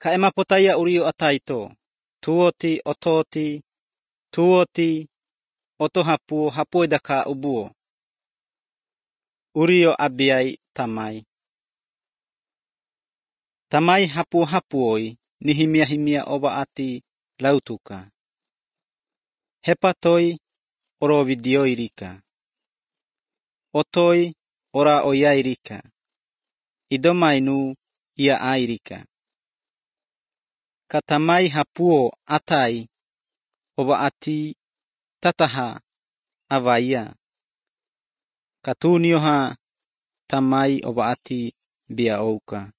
Ka'ema potaya urio ataito. Tuoti, oto hapuo daka ubuo. Urio abiai tamai. Tamai hapuoi ni himia oba ati lautuka. Hepatoi oro vidioirika. Otoi ora oyairika. Idomainu ia airika. Katamai hapuo atai oba ati tataha avaya. Katunioha tamai oba ati biaouka.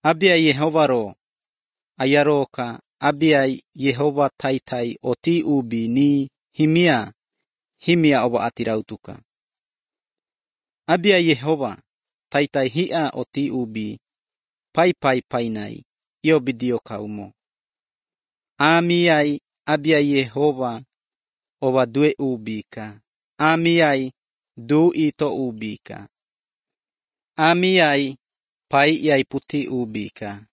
Abia Yehovaro ayaroka abia Yehova taitai oti ubi ni himia oba ati rautuka. Abia Yehova taitai hia oti ubi pai painai io bidio kaumo. Amiai abia Yehova oba due ubika. Amiai du ito ubika. Amiai pai iai puti ubika.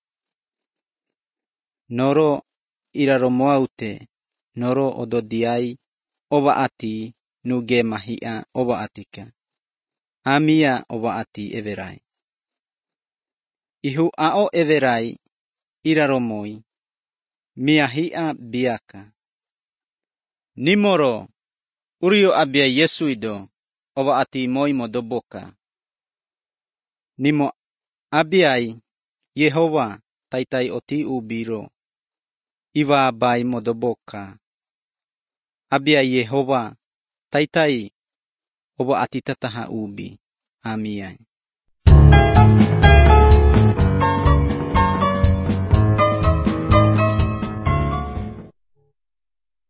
Noro iraromoaute, noro ododiai oba ati nuge mahia oba atika. Amia oba ati everai. Ihu ao everai iraromoi. Mia hia biaka. Nimoro urio abia Yesuido oba ati moi modoboka. Nimo abiai Yehova taitai oti ubiro. Iwa bai modoboka. Abia Yehova taitai oba ati tataha ubi. Amiai.